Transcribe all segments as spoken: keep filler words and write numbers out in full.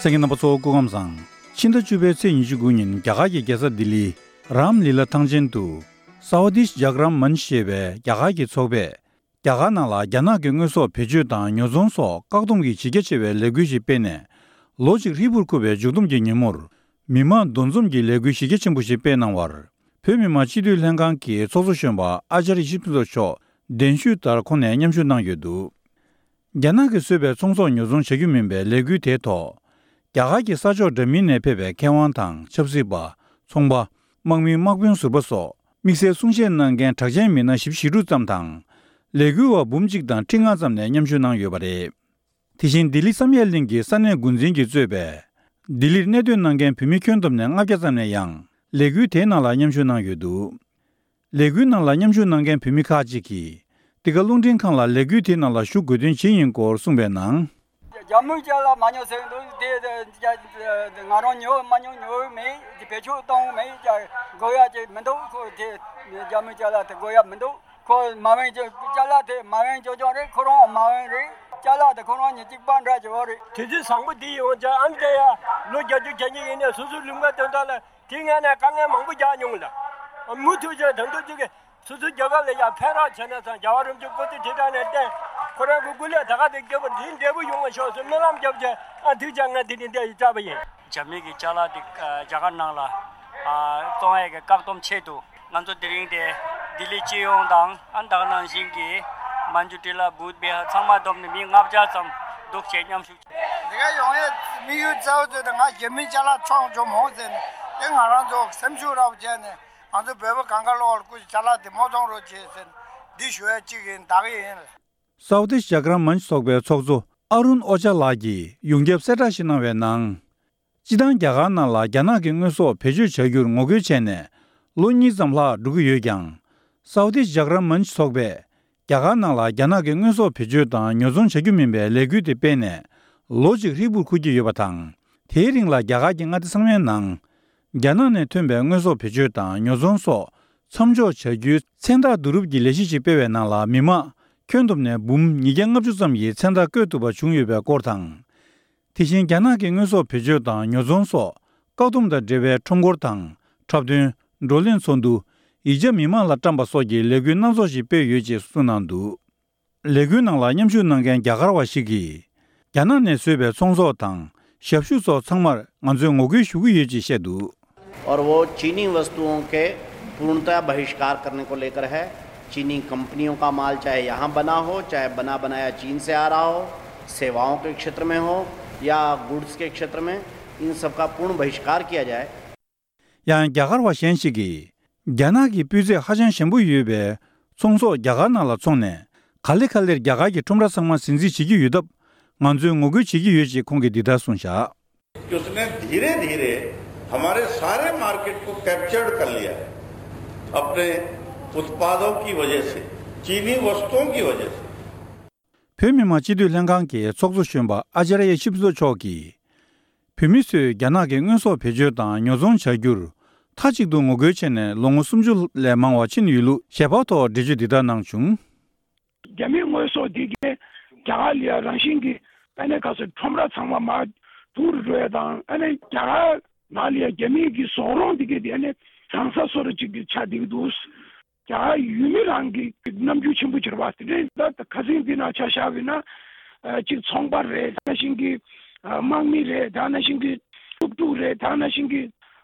གསན་མཁན་རྣམ་པ་ཚོ་སྐུ་ཁམས་བཟང་། ཕྱི་ཟླ་བཅུ་པའི་ཚེས་ཉི་ཤུ་དགུ་ཉིན་རྒྱ་གར་གྱི་རྒྱལ་ས་ལྡི་ལི་རམ་ལི་ལ་ཐང་ཆེན་དུ་སའོ་དིཤ་ཇག་རམ་མན་ཅ་ཞེས་པའི་རྒྱ་གར་གྱི་ཚོགས་པས་རྒྱ་གར་ནང་ལ་རྒྱ་ནག་གི་དངོས་ཟོག་བེད་སྤྱོད་དང་ཉོ་ཚོང་སོགས་བཀག་སྡོམ་གྱི་གཞི་རྒྱ་ཆེ་བའི་ལས་འགུལ་ཞིག་སྤེལ་ནས། ལོ་གཅིག་ཧྲིལ་པོར་འཁོར་བའི་མཇུག་བསྡོམས་ཀྱི་ཉིན་མོར། མི་མང་འདུ་འཛོམས་ཀྱི་ལས་འགུལ་གཞི་རྒྱ་ཆེན་པོ་ཞིག་སྤེལ་གནང་བར། བོད་མི་མང་སྤྱི་འཐུས་ལྷན་ཁང་གི་ཚོགས་གཙོ་གཞོན་པ་ཨ་ཅཱརྱ་ཡེ་ཤེས་ཕུན་ཚོགས་མཆོག་གདན་ཞུས་ལྟར་ཁོང་ནས་མཉམ་ཞུགས་གནང་ཡོད་འདུག་རྒྱ་ནག་གིས་བཟོས་པའི་ཚོང་ཟོག་ཉོ་ཚོང་བྱ་རྒྱུ་མིན་པའི་ལས་འགུལ་དེའི་ཐོག་རྒྱ་གར་གྱི་ས་ཕྱོགས་འདྲ་མིན་ནས་ཕེབས་པའི་མཁས་དབང་དང་ཆབ་སྲིད་པ། ཚོང་པ། དམག་མི། དམག་དཔོན་ཟུར་པ་སོགས་དམིགས་བསལ་གསུང་བཤད་གནང་མཁན་གྲགས་ཅན་མི་སྣ་བཞི་བཅུ་ཞེ་དྲུག་ཙམ་དང་། ལས་འགུལ་བ་འབུམ་གཅིག་དང་ཁྲི་ལྔ་ཙམ་ནས་མཉམ་ཞུགས་གནང་ཡོད་པ་རེད། དེ་བཞིན་ལྡི་ལི་བསམ་ཡས་གླིང་གི་ས་གནས་འགོ་འཛིན་གྱིས་གཙོས་པའི་ལྡི་ལིར་གནས་སྡོད་གནང་མཁན་བོད་མི་ཁྱོན་བསྡོམས་ནས་ལྔ་བརྒྱ་ཙམ་ནས་ཡང་ལས་འགུལ་དེའི་ནང་ལ་མཉམ་ཞུགས་གནང་ཡོད་འདུག་ལས་འགུལ་ནང་ལ་མཉམ་ཞུགས་གནང་མཁན་བོད་མི་ཁག་ཅིག་གིས་འདི་ག་རླུང་འཕྲིན་ཁང་ལ་ལས་འགུལ་དེའི་ནང་ལ་ཞུགས་དགོས་དོན་ཇི་ཡིན་སྐོར་གསུངས་པའི་ནང་། རྒྱ་མིའི་ཅ་ལག་མ་ཉོ་ཟེར་གྱི་འདུག་དེ་དེ་ང་རང་ཉོ་མ་ཉོ་ཉོ་མེད། དེ་བེད་སྤྱོད་གཏོང་མེད། ཅ་དགོས་ཡ་ཅིག་མི་འདུག་ཁོ་དེ་རྒྱ་མིའི་ཅ་ལག་དེ་དགོས་ཡ་མི་འདུག་ཁོ་མ་འོན་ཅ་ཅ་ལག་དེ་མ་འོན་ཅོ་ཅོ་རེད། ཁོ་རང་མ་འོན་རེད། ཅ་ལག་དེ་ཁོ་རང་ཉིད་གཅིག་པ་འདྲ་ཅིག་འོ་རེད། དུས་ཚོད་བཟང་པོ་འདི་ཡོང་ཅ་ཨམ་ཅ་ཡ་ལོ་བརྒྱད་ཅུ་གྱ་གཉིས་ཡིན་ནས་སོ་སོའི་ལུང་པ་དོན་དག་ལ་དེ་ངས་ནས་དཀའ་ངལ་མང་པོ་རྒྱག་མྱོང་ལ། མུ་མཐུད་ཅ་ད་དུང་ཅིག་གི་སོ་སོའི་རྒྱལ་ཁབ་ལ་ཡང་ཕན་རག་བྱས་ན་བསམ། རྒྱལ་བ་རིན་པོ་ཆེ་སྐུ་ཚེ་ཁྲི་ཕྲག་ནས་བརྟན། ཁོ་རང་གི་སྐུ་ལས་ད་ག་དེ་རྒྱས་པ་འདི་འབྲས་བུ་ཡོང་བ་ཤོག་ཟེར་སྨོན་ལམ་བརྒྱབ་བྱས། ཨ་ཐུགས་རྗེ་ཆེ། ང་འདི་ནས་འདི་ཡི་སྐྲག་པ་ཡིན། རྒྱ་མི་གི་ཅ་ལག་འདི་རྒྱ་གར་ནང་ལ་ཨ་བཙོང་ཡས་ཀྱི་བཀག་སྡོམ་ཆེད་དུ་ང་ཚོ་དེ་རིང་དེ་ལྡི་ལི་སྤྱི་ཡོངས་དང་ཨ་ད་ག་ནང་བཞིན་གྱི་མན་ཇུ་ཊི་ལ་བུད་བྷི་ཧར་ཚང་མ་བསྡོམས་ནས་མི་ལྔ་བརྒྱ་ཙམ་འདུག་བྱས་མཉམ་ཞུགས། འདི་ག་ཡོང་ཡས་དམིགས་ཡུལ་གཙོ་བོ་དེ་ང་རྒྱ་མི་ཅ་ལག་འཚོང་ཆོག་མོ་ཟེར་ནས་དེ་ང་རང་ཚོ་སེམས་ཤུགས་རག་པ་བྱས་ནས། ང་ཚོ་བོད་པ་གང་ག་ལོག་ལ་སྐུ་ཅ་ལག་དེ་མོ་གཏོང་རོགས་བྱེད་ཟེར་འདི་ཞུ་ཡ་གཅིག་ཡིན། བདག་ཡིན། སའོ་དིཤ་ཇག་རམ་མན་ཚོགས་པའི་ཚོགས་གཙོ་ཨ་རུན་ཨོ་ཅཱ་ལགས་ཀྱིས་ཡོངས་ཁྱབ་གསལ་བསྒྲགས་ཤིག་གནང་བའི་ནང་། སྤྱི་བཏང་རྒྱ་གར་ནང་ལ་རྒྱ་ནག་གི་དངོས་ཟོག་བེད་སྤྱོད་བྱ་རྒྱུར་ངོ་རྒོལ་བྱས་ནས་ལོ་གཉིས་ཙམ་ལྷག་འགྲོ་གི་ཡོད་ཀྱང་། སའོ་དིཤ་ཇག་རམ་མན་ཚོགས་པས་རྒྱ་གར་ནང་ལ་རྒྱ་ནག་གི་དངོས་ཟོག་བེད་སྤྱོད་དང་ཉོ་ཚོང་བྱ་རྒྱུ་མིན་པའི་ལས་འགུལ་དེ་སྤེལ་ནས་ལོ་གཅིག་ཧྲིལ་པོར་འཁོར་གྱི་ཡོད་པ་དང་། དེའི་རིང་ལ་རྒྱ་གར་གྱི་མངའ་སྡེ་ཚང་མའི་ནང་། རྒྱ་ནག་ནས་ཐོན་པའི་དངོས་ཟོག་བེད་སྤྱོད་དང་ཉོ་ཚོང་སོགས་མཚམས་འཇོག་བྱ་རྒྱུའི་མཚན་རྟགས་བསྡུ་རུབ་ཀྱི་ལས་གཞི་ཞིག་སྤེལ་བའི་ནང་ལ་མི་མང་ཁྱོན་བསྡོམས་ནས་འབུམ་ཉིས་བརྒྱ་ལྔ་བཅུ་ཙམ་ཡིས་མཚན་རྟགས་བཀོད་ཐུབ་པ་བྱུང་ཡོད་པའི་སྐོར་དང་། དེ་བཞིན་རྒྱ་ནག་གི་དངོས་ཟོག་བེད་སྤྱོད་དང་ཉོ་ཚོང་སོགས་བཀག་སྡོམ་དང་འབྲེལ་བའི་ཁྲོམ་སྐོར་དང་འཁྲབ་སྟོན། བགྲོ་གླེང་ཚོགས་འདུ། ཡིག་ཆ་མི་མང་ལ་བཀྲམ་པ་སོགས་ཀྱི་ལས་འགུལ་སྣ་ཚོགས་ཤིག་སྤེལ་ཡོད་ཅེས་གསུངས་གནང་འདུག་ལས་འགུལ་ནང་ལ་མཉམ་ཞུགས་གནང་མཁན་རྒྱ་གར་བ་ཞིག་གིས། རྒྱ་ནག་ནས་བཟོས་པའི་ཚོང་ཟོག་དང་ཞབས་ཞུ་སོགས་ཚང་མར་ང་ཚོས་ངོ་རྒོལ་ཞུ་གི་ཡོད་ཅེས་བཤད་འདུག और वो चीनी वस्तुओं के पूर्णतः बहिष्कार करने को लेकर है। चीनी कंपनियों का माल चाहे यहाँ बना हो, चाहे बना बनाया चीन से आ रहा हो, सेवाओं के क्षेत्र में हो या गुड्स के क्षेत्र में, इन सब का पूर्ण बहिष्कार किया जाए। ཡང་རྒྱ་གར་བ་གཞན་ཞིག་གིས། རྒྱ་ནག་གི་སྤུས་ཚད་ཧ་ཅང་ཞན་པོ་ཡོད་པའི་ཚོང་ཟོག་རྒྱ་གར་ནང་ལ་འཚོང་ནས། ག་ལེ་ག་ལེར་རྒྱ་གར་གྱི་ཁྲོམ་ར་ཚང་མ་ཟིན་རྩིས་བྱེད་ཀྱི་ཡོད་སྟབས། ང་ཚོས་ངོ་རྒོལ་བྱེད་ཀྱི་ཡོད་ཅེས་ཁོང་གིས་འདི་ལྟར་གསུངས་བཞག उसने धीरे धीरे हमारे सारे मार्केट को कैप्चर्ड कर लिया है अपने उत्पादों की वजह से, चीनी वस्तुओं की वजह से। བོད་མི་མང་སྤྱི་འཐུས་ལྷན་ཁང་གི་ཚོགས་གཙོ་གཞོན་པ་ཨ་ཅཱརྱ་ཡེ་ཤེས་ཕུན་ཚོགས་མཆོག་གིས། བོད་མི་ཚོས་རྒྱ་ནག་གི་དངོས་ཟོག་བེད་སྤྱོད་དང་ཉོ་ཚོང་བྱ་རྒྱུར་མཐའ་གཅིག་ཏུ་ངོ་རྒོལ་བྱས་ནས་ལོ་ངོ་སུམ་ཅུ་ལས་མང་བ་ཕྱིན་ཡོད་ལུགས་ཞལ་པར་ཐོག་འགྲེལ་བརྗོད་འདི་ལྟར་གནང་བྱུང་། རྒྱ་མིའི་དངོས་ཟོག་འདི་གས་རྒྱ་གར་ལ་ཡ་རང་བཞིན་གྱི་ཨ་ནེ་ག་ཚོད་ཁྲོམ་ར་ཚང་མ་མར་དུག་རུ་འགྲོ་ཡ་དང་ཨ་ནེ་རྒྱ་གར་ནང་ལ་ཡ་རྒྱ་མིའི་གི་ཟོག་རོང་འདི་གས་དེ་ཨ་ནེ་རང་ས་སོ་རུ་ཅིག་གི་ཆགས་བསྡད་ཀྱི་འདུག་རྒྱ་གར་ཡུལ་མི་རང་གི་རྣམ་འགྱུར་ཆེན་པོ་གྱུར་པ་དེ་འདྲའི་ད་ཁ་སང་འདི་ནང་ཆ་བཞག་པ་ཡིན་ན་ཅིག་ཚོང་པ་རེད། ད་ནང་བཞིན་གྱི་དམག་མི་རེད། ད་ནང་བཞིན་གྱི་ཕྲུག་ཕྲུག་རེད། ད་ནང་བཞིན་གྱི་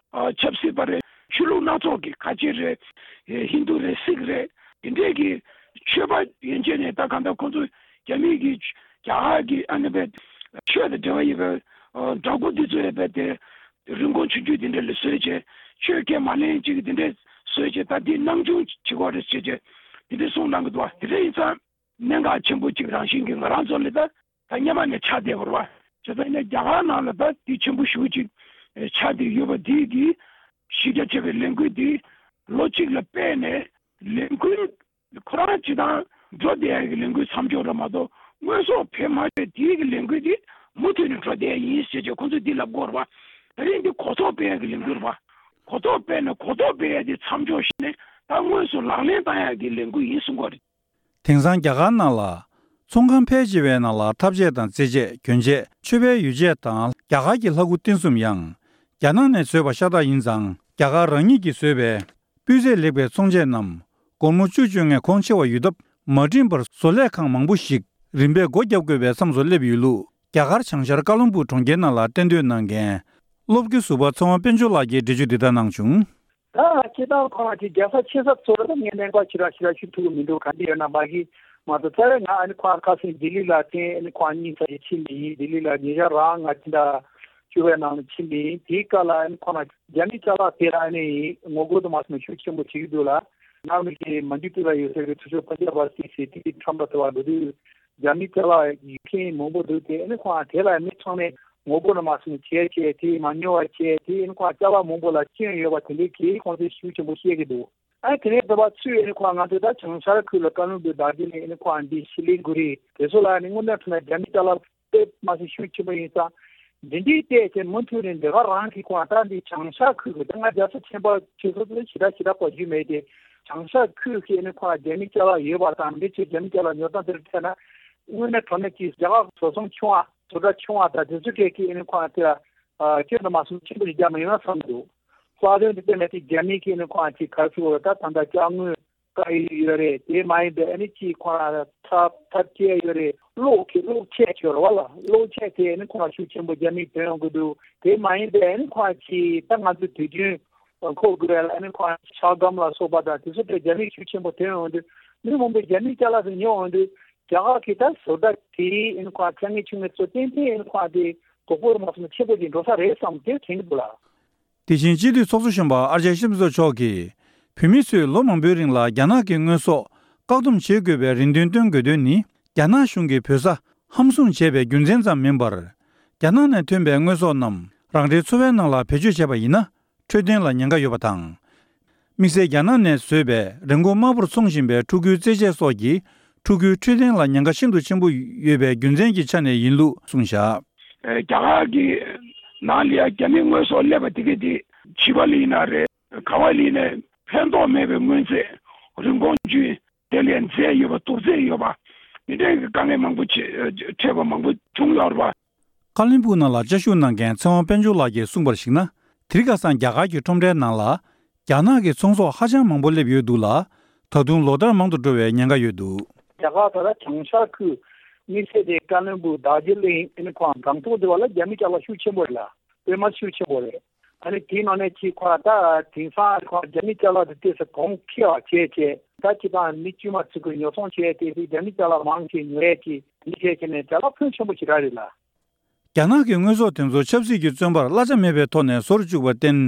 ཆབ་སྲིད་པ་རེད། ཆོས་ལུགས་སྣ་ཚོགས་ཀྱི་ཁ་ཆེ་རེད། ཧིན་རྡུ་རེད། སིག་རེད། དེ་འདྲས་ཀྱི་ཆོས་པ་ཡན་ཆད་ནས་ད་གང་ལྟར་ཁོང་ཚོ་རྒྱ་མིའི་གི་རྒྱ་གར་གྱི་ཨ་ནི་པའི་ཆོས་དང་འབྲེལ་བ་ཡོད་པའི་འདྲ་སྐུ་འདི་ཚོ་ཡོད་པའི་དེ་རིན་གོང་ཆུང་ཆུང་དེ་འདྲས་ལ་བཟོས་བྱས་ཆོས་ཁས་མ་ལེན་ཅིག་དེ་འདྲས་བཟོས་བྱས་ད་འདི་སྣང་ཆུང་བྱེད་དགོས་རེད་ཟེར་བྱས་དེ་འདྲས་གསུངས་གནང་གི་འདུག་བ། དེ་འདྲས་ཡིན་ཙང་གནད་འགག་ཆེན་པོ་ཅིག་རང་བཞིན་གྱི་ང་རང་ཚོ་ལ་ད་ད་སྔོན་མ་ནས་ཆགས་བསྡད་པ་རེད་བ། བྱས་ཙང་ཡིན་ན་རྒྱ་གར་ནང་ལ་ད་འདི་ཆེན་པོ་ཞེ་པོ་ཅིག་ཆགས་བསྡད་ཡོད་པ་འདི་གི་གཞི་རྒྱ་ཆེ་བའི་ལས་འགུལ་འདི་ལོ་གཅིག་ལ་སྤེལ་ནས་ལས་འགུལ་ཁོ་རང་སྤྱི་བཏང་འགྲོ་བསྡད་ཡ་གི་ལས་འགུལ་མཚམས་འཇོག་རེད་མ་གཏོགས་དངོས་ཟོག་བེད་མ་སྤྱོད་དེའི་གི་ལས་འགུལ་འདི་མུ་མཐུད་ནས་འགྲོ་བསྡད་ཡ་ཡིན་ཟེར་བྱས་ཁོང་ཚོས་འདི་ལབ་ཀྱི་ཡོད་རེད་བ། ད་རིང་འདི་གོ་རྟོགས་སྤེལ་ཡ་གི་ལས་འགུལ་རེད་བ། གོ་རྟོགས་སྤེལ་ནས་གོ་རྟོགས་སྤེལ་ཡ་འདི་མཚམས་འཇོག་བྱས་ནས་ད་དངོས་སུ་ལག་ལེན་བསྟར་ཡ་གི་ལས་འགུལ་ཡིན་གསུང་གི་ཡོད་རེད། དེང་སང་རྒྱ་གར་ནང་ལ་ ཚོང་ཁང་ཕལ་ཆེ་བའི་ནང་ལ་ཐབ་ཆས་དང་རྩེད་ཆས། གྱོན་ཆས། མཆོད་པའི་ཡོ་བྱད་དང་རྒྱ་གར་གྱི་ལྷ་སྐུ་རྟེན་གསུམ་ཡང་རྒྱ་ནག་ནས་བཟོས་པ་ཤ་སྟག་ཡིན་ཙང་། རྒྱ་གར་རང་ཉིད་ཀྱིས་བཟོས་པའི་སྤུས་ཚད་ལེགས་པའི་ཚོང་ཆས་རྣམས་སྒོར་མོ་བཅུ་བཅོ་ལྔའི་གོང་ཆེ་བ་ཡོད་སྟབས། མ་འགྲིམས་པར་བཟོ་ལས་ཁང་མང་པོ་ཞིག་རིམ་པས་སྒོ་བརྒྱབ་དགོས་པའི་མཚམས་སུ་སླེབས་ཡོད་ལུགས་རྒྱ་གར་བྱང་ཤར་ཀ་ལོན་སྦུག་གྲོང་ཁྱེར་ནང་ལ་གཏན་སྡོད་གནང་མཁན་སློབ་དགེ་ཟུར་པ་ཚེ་དབང་དཔལ་འབྱོར་ལགས་ཀྱིས་འགྲེལ་བརྗོད་འདི་ལྟར་གནང་བྱུང་། ད་སྤྱིར་བཏང་ཁོ་རང་གི་རྒྱལ་ས་ཆེ་ས་ཚོ་ལ་ད་ངས་གནས་སྐོར་ཞེ་དྲག་ཞེ་དྲག་ཞུ་ཐུབ་ཀྱི་མི་འདུག་ག་འདི་ཡོད་ན་མ་གི་མ་གཏོགས། རྩ་བའི་ང་ཨ་ནི་ཁོ་རང་ཁ་སང་ལྡི་ལི་ལ་ཐེངས་ཨ་ནི་ཁོ་རང་གཉིས་ཙམ་ཞིག་ཕྱིན་པ་ཡིན། ལྡི་ལི་ལ་ཉེ་ཆར་རང་ང་ཕྱི་ཟླ་བཅུ་པའི་ནང་ལ་ཕྱིན་པ་ཡིན། དེའི་སྐབས་ལ་ཨ་ནི་ཁོ་རང་རྒྱ་མི་ཅ་ལག་དེ་ལ་ཨ་ནི་ངོ་རྒོལ་དུ་མ་སོང་ན་ཤུགས་ཆེན་པོ་བྱེད་ཀྱི་འདུག་ལ། ནང་མི་གི་མ་འཇུ་ཏུ་ལ་ཡོད་ས་གི་ཚུར་ཕྱོགས་པ་ཇ་བ་སི་སི་ཏི་ཁྲོམ་པ་དུ་བ་འགྲོ་དུས། རྒྱ་མི་ཅ་ལག་ཡོད་མཁན་མང་པོ་འདུག་དེ་ཨ་ནི་ཁོང་དེ་ལ་མི་ཚང་མས་ངོ་རྒོལ་ནི་མ་སོང་བྱས་བྱས་དེ་མ་ཉོ་བ་བྱས་དེ་ཨ་ནི་ཁོང་ཅ་ལག་མང་པོ་ལ་སྐྱོན་ཡོད་པ་དེ་འདྲའི་གི་ཁོང་ཚོས་ཤུགས་ཆེན་པོ་བཤད་ཀྱི་འདུག་ཨ་དེ་ནས་བོད་པ་ཚོས་ཨ་ནི་ཁོང་ང་ཚོ་ད་བྱང་ཤར་ཁུལ་ལ་ཀ་ལོན་སྦུག་དར་རྒྱས་ནས་ཨ་ནི་ཁོང་འདི་ཤི་ལི་གུ་རི་དེ་ཚོ་ལ་ཨ་ནི་དངོས་གནས་དྲང་གནས་རྒྱ་མི་ཅ་ལག་དཔེ་མ་སྲིད་ཤུགས་ཆེན་པོ་ཡིན་ཙང་། འདི་འདྲའི་ལྟས་ཀྱི་མུ་མཐུད་ནས་འདི་ག་རང་གི་ཁོང་ད་འདི་བྱང་ཤར་ཁུལ་གི་ད་ང་རྒྱལ་ས་ཆེན་པོ་ཆེ་ཤོས་དེ་ཞེ་དྲག་ཞེ་དྲག་གོ་རྒྱུ་མེད་དེ། བྱང་ཤར་ཁུལ་གྱི་ཨ་ནི་ཁོང་རྒྱ་མི་ཅ་ལག་ཡོད་པ་དང་འདི་ཚོས་རྒྱ་མི་ཅ་ལག་ཉོ་སྟངས་དེར་ཐད་ན། དངོས་གནས་དྲང་གནས་ཀྱི་རྒྱ་གར་བཟོ་ཚོང་ཆུང་བ་བཟོ་གྲྭ་ཆུང་བ་དང་དེ་ཚོ་གྲས་ཀྱི་ཨ་ནི་ཁོང་དེ་ལ་སྐྱོན་དུ་མ་སོང་ཆེན་པོ་ཞིག་རྒྱག་མ་ཡོང་ན་བསམ་འདུག་ལྷག་དོན་དུ་བལྟས་ན་དེ་རྒྱ་མི་གི་ཨ་ནི་ཁོང་ཅིག་ག་ཚོད་ད་ད་ལྟ་ཅ་དངོས། དཀའ་ཡི་ཡོད་རེད། དེ་མ་ཡིན་པའི་ཨ་ནི་ཅིག་ཁོ་རང་ཐབ་ཐབ་ཆས་ཡོད་རེད། གློག་གི་གློག་ཆས་ཡོད་རེད་བ་ལ། གློག་ཆས་དེ་ཨ་ནི་ཁོ་རང་ཤུགས་ཆེན་པོ་རྒྱ་མིས་ཐོན་ཡོང་གི་འདུག་དེ་མ་ཡིན་པའི་ཨ་ནི་ཁོ་རང་ཅིག་ད་ང་ཚོ་དུས་རྒྱུན་མཁོ་དགོས་རེད་ལ། ཨ་ནི་ཁོ་རང་ཤ་སྒམ་ལ་སོགས་པ་དང་དེ་ཚོ་དེ་རྒྱ་མིས་ཤུགས་ཆེན་པོ་ཐོན་ཡོང་དུས་མི་མང་པོས་རྒྱ་མིའི་ཅ་ལག་དེ་ཉོ་ཡོང་དུས་རྒྱ་གར་གྱི་ད་བཟོ་གྲྭ་དེའི་ཨ་ནི་ཁོ་རང་ཚ་ངེས་ཆུ་ངེས་ཚོ་ཏན་ཏན་ཨ་ནི་ཁོ་རང་དེ་དོ་ཕོག་མ་སོང་ན་ཆེན་པོ་ཅིག་འགྲོ་ས་རེད་བསམ་དེ་དྲན་གྱི་འདུག་ལ། དེ་བཞིན་སྤྱི་འཐུས་ཚོགས་གཙོ་གཞོན་པ་ཨ་ཅག་ཆིབས་བསྒྱུར་མཆོག་གིས་བོད་མི་ཚོས་ལོ་མང་པོའི་རིང་ལ་རྒྱ་ནག་གི་དངོས་ཟོག་བཀག་སྡོམ་བྱེད་དགོས་པའི་རེ་འདུན་བཏོན་དགོས་དོན་ནི། རྒྱ་ནག་གཞུང་གིས་བོད་ས་ཧམ་བཟུང་བྱས་པའི་རྒྱུ་མཚན་ཙམ་མིན་པར། རྒྱ་ནག་ནས་ཐོན་པའི་དངོས་ཟོག་རྣམས་རང་རེའི་འཚོ་བའི་ནང་ལ་བེད་སྤྱོད་བྱས་པ་ཡིན་ན། འཕྲོད་བསྟེན་ལ་ཉེན་ཁ་ཡོད་པ་དང་། དམིགས་བསལ་རྒྱ་ནག་ནས་བཟོས་པའི་རིན་གོང་དམའ་པོར་འཚོང་བཞིན་པའི་ཕྲུ་གུའི་རྩེད་ཆས་སོགས་ཀྱིས་ཕྲུ་གུའི་འཕྲོད་བསྟེན་ལ་ཉེན་ཁ་ཤིན་ཏུ་ཆེན་པོ་ཡོད་པའི་རྒྱུ་མཚན་གྱི་ཆ་ནས་ཡིན་ལུགས་གསུངས་བཞག་རྒྱ་གར་གྱི་ནང་ལ་ཡ་རྒྱ་མིའི་དངོས་ཟོག་སླེབས་པ་དེ་ག་དེ་བྱིས་པ་ལ་ཡིན་ན་རེད། ག་བ་ལ་ཡིན་ནའི་ཕན་ཐོགས་མེད་པའི་དངོས་རྫས། རིན་གོང་ཆུང་། དེ་ལས་རྫས་ཡོད་པ་དུག་རྫས་ཡོད་པ། འདི་འདྲའི་དཀའ་ངལ་མང་པོ་ཆེ་འཕྲད་པ་མང་པོ་བྱུང་ཡོད་རེད་པ། ཀ་ལིན་སྦུག་ནང་ལ་བཅའ་བཞུགས་གནང་མཁན་ཚེ་དབང་དཔལ་འབྱོར་ལགས་ཀྱིས་གསུངས་པར་གཞིགས་ན། དེ་རིང་ཁ་སང་རྒྱ་གར་གྱི་ཁྲོམ་རའི་ནང་ལ་རྒྱ་ནག་གི་ཚོང་ཟོག་ཧ་ཅང་མང་པོ་སླེབས་ཡོད་འདུག་ལ། ད་དུང་ལོ་ལྟར་མང་དུ་འགྲོ་བའི་ཉེན་ཁ་ཡོད་འདུག་རྒྱ་གར་ད་ལྟ་བྱང་ཤར་ཁུལ་དམིགས་བསལ་དེ་ཀ་ལིན་སྦུག་དར་ཇི་ལིང་ཨ་ནི་ཁོང་སྒང་ཏོག་དེ་བ་ལ་རྒྱ་མི་ཅ་ལག་ཤུགས་ཆེན་པོ་རེད་ལ། དཔེ་མ་ཤུགས་ཆེན་པོ་རེད། ཨ་ནི་དེའི་ནང་ནས་ཅིག་ཁོ་ད་དེང་སང་ཁོ་རྒྱ་མི་ཅ་ལག་དེ་ཏོག་ཙམ་གོང་ཁེ་བ་བྱས་བྱས་ད་ཅི་དང་མི་དཀྱུས་མ་ཚོ་གི་ཉོ་ཚོང་བྱས་ཏེ་དེ་རྒྱ་མི་ཅ་ལག་མང་ཆེ་ཉོ་ཡས་ཀྱི་མི་བྱས་བྱས་ནས་ཅ་ལག་ཕོན་ཆེན་པོ་ཞིག་རག་རེད་ལ། རྒྱ་ནག་གི་དངོས་ཟོག་དེ་ཚོ་ཆབ་སྲིད་ཀྱི་བཙོན་པར་གླ་ཆ་མེད་པའི་ཐོག་ནས་བཟོ་རུ་བཅུག་པར་བརྟེན།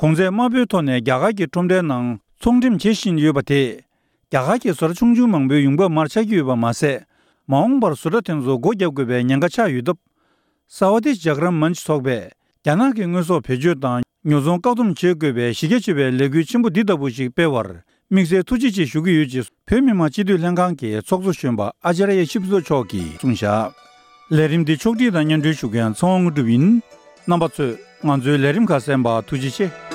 གོང་ཚད་དམའ་པོའི་ཐོག་ནས་རྒྱ་གར་གྱི་ཁྲོམ་རའི་ནང་ཚོང་འགྲེམས་བྱེད་བཞིན་ཡོད་པ་དེས། རྒྱ་གར་གྱི་བཟོ་གྲྭ་ཆུང་ཆུང་མང་པོའི་ཡོང་འབབ་མར་ཆག་གི་ཡོད་པ་མ་ཟད། མ་འོངས་པར་བཟོ་གྲྭ་དེ་ཚོ་སྒོ་བརྒྱབ་དགོས་པའི་ཉེན་ཁ་ཆགས་ཡོད་སྟབས། སྭ་ཝ་དི་ཇག་རམ་མན་ཆི་ཚོགས་པས་རྒྱ་ནག་གི་དངོས་ཟོག་བེད་སྤྱོད་དང་ཉོ་ཚོང་བཀག་སྡོམ་བྱེད་དགོས་པའི་གཞི་རྒྱ་ཆེ་བའི་ལས་འགུལ་ཆེན་པོ་འདི་ལྟ་བུ་ཞིག་སྤེལ་བར་དམིགས་བསལ་ཐུགས་རྗེ་ཆེ་ཞུ་གི་ཡོད་ཅེས་བོད་མི་མང་སྤྱི་འཐུས་ལྷན་ཁང་གི་ཚོགས་གཙོ་གཞོན་པ་ཨ་ཅཱརྱ་ཆིབས་བསྒྱུར་མཆོག་གིས་གསུངས་བཞག་ལས་རིམ་འདི་ཕྱོགས་སྒྲིག་དང་སྙན་སྒྲོན་ཞུ་མཁན་ཚེ་དབང་དངོས་གྲུབ་ཡིན། རྣམ་པ་ཚོས་ང་ཚོའི་ལས་རིམ་ཁག་གསན་པར་ཐུགས་རྗེ་ཆེ།